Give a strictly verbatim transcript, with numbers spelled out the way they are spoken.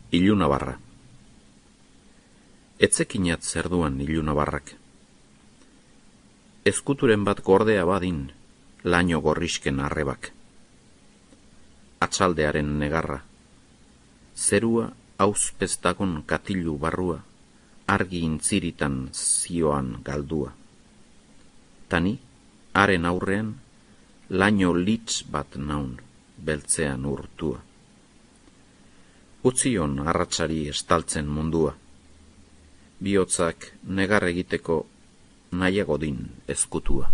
Ilunabarra. Etzekinat zer duan ilunabarrak. Ezkuturen bat gordea badin, laino gorrisken arrebak. Atxaldearen negarra. Zerua auzpeztakon katilu barrua, argi intziritan zioan galdua. Tani, haren aurrean, laino litz bat naun, beltzean urtua. Utzion arratsari estaltzen mundua. Bihotzak negar egiteko nahiago din ezkutua.